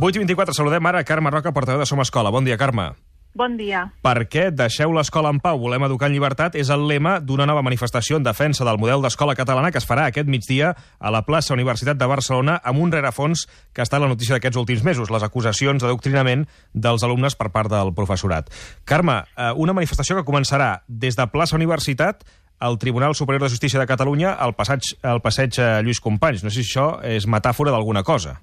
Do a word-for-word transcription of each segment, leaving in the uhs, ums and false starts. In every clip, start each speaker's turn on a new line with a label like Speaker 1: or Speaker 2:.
Speaker 1: vuit i vint-i-quatre, saludem ara Carme Roca, portaveu de Som Escola. Bon dia, Carme.
Speaker 2: Bon dia.
Speaker 1: Per què deixeu l'escola en pau, volem educar en llibertat és el lema d'una nova manifestació en defensa del model d'escola catalana que es farà aquest migdia a la plaça Universitat de Barcelona amb un rerefons que ha estat la notícia d'aquests últims mesos, les acusacions d'adoctrinament dels alumnes per part del professorat. Carme, una manifestació que començarà des de plaça Universitat al Tribunal Superior de Justícia de Catalunya al passeig, al passeig Lluís Companys. No sé si això és metàfora d'alguna cosa.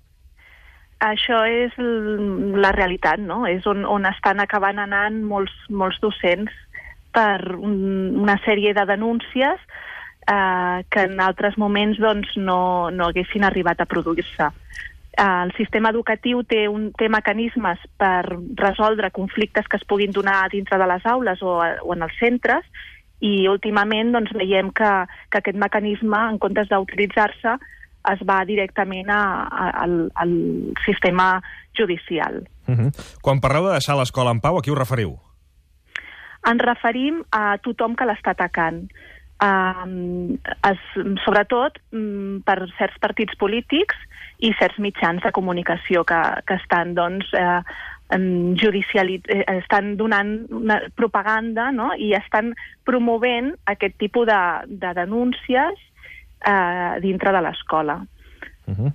Speaker 2: Això és la realitat, no? És on, on estan acabant anant molts, molts docents per un, una sèrie de denúncies eh, que en altres moments doncs, no, no haguessin arribat a produir-se. Eh, el sistema educatiu té, un, té mecanismes per resoldre conflictes que es puguin donar dintre de les aules o, o en els centres, i últimament doncs, veiem que, que aquest mecanisme, en comptes d'utilitzar-se, es va directament a, a, al, al sistema judicial.
Speaker 1: Uh-huh. Quan parleu de deixar l'escola en pau, a qui us referiu?
Speaker 2: Ens referim a tothom que l'està atacant. Uh, es, sobretot um, per certs partits polítics i certs mitjans de comunicació que, que estan, doncs, eh, judicialit- eh, estan donant una propaganda, no? I estan promovent aquest tipus de, de denúncies Uh, dintre de l'escola.
Speaker 1: Uh-huh.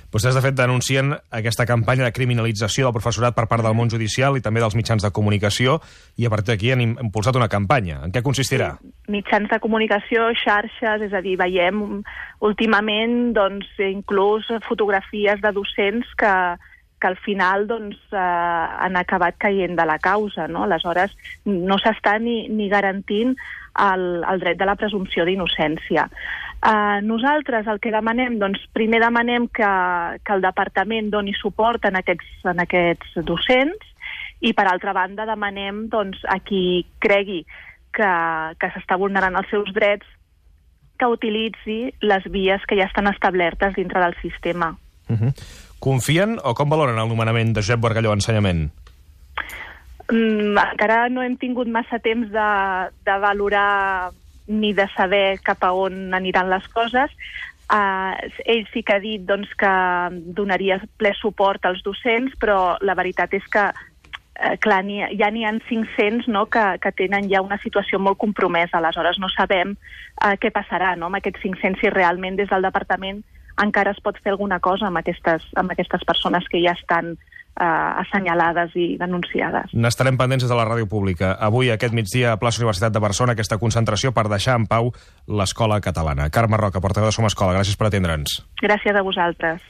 Speaker 1: Vostès, de fet, denuncien aquesta campanya de criminalització del professorat per part del món judicial i també dels mitjans de comunicació, i a partir d'aquí han impulsat una campanya. En què consistirà?
Speaker 2: Sí. Mitjans de comunicació, xarxes, és a dir, veiem últimament doncs, inclús fotografies de docents que, que al final doncs, eh, han acabat caient de la causa, no? Aleshores, no s'està ni, ni garantint el, el dret de la presumpció d'innocència. Uh, nosaltres el que demanem, doncs primer demanem que, que el departament doni suport en aquests, en aquests docents, i per altra banda demanem doncs, a qui cregui que, que s'està vulnerant els seus drets que utilitzi les vies que ja estan establertes dintre del sistema.
Speaker 1: Uh-huh. Confien o com valoren el nomenament de Josep Bargalló a Ensenyament?
Speaker 2: Mm, encara no hem tingut massa temps de, de valorar ni de saber cap a on aniran les coses. Uh, ell sí que ha dit doncs, que donaria ple suport als docents, però la veritat és que uh, clar, ni, ja n'hi ha cinc-cents, no, que, que tenen ja una situació molt compromesa. Aleshores no sabem uh, què passarà, no, amb aquests cinc-cents, si realment des del departament encara es pot fer alguna cosa amb aquestes, amb aquestes persones que ja estan Uh, assenyalades i denunciades.
Speaker 1: N'estarem pendents des de la ràdio pública. Avui, aquest migdia, a plaça Universitat de Barcelona, aquesta concentració per deixar en pau l'escola catalana. Carme Roca, portaveu de Som Escola, gràcies per atendre'ns.
Speaker 2: Gràcies a vosaltres.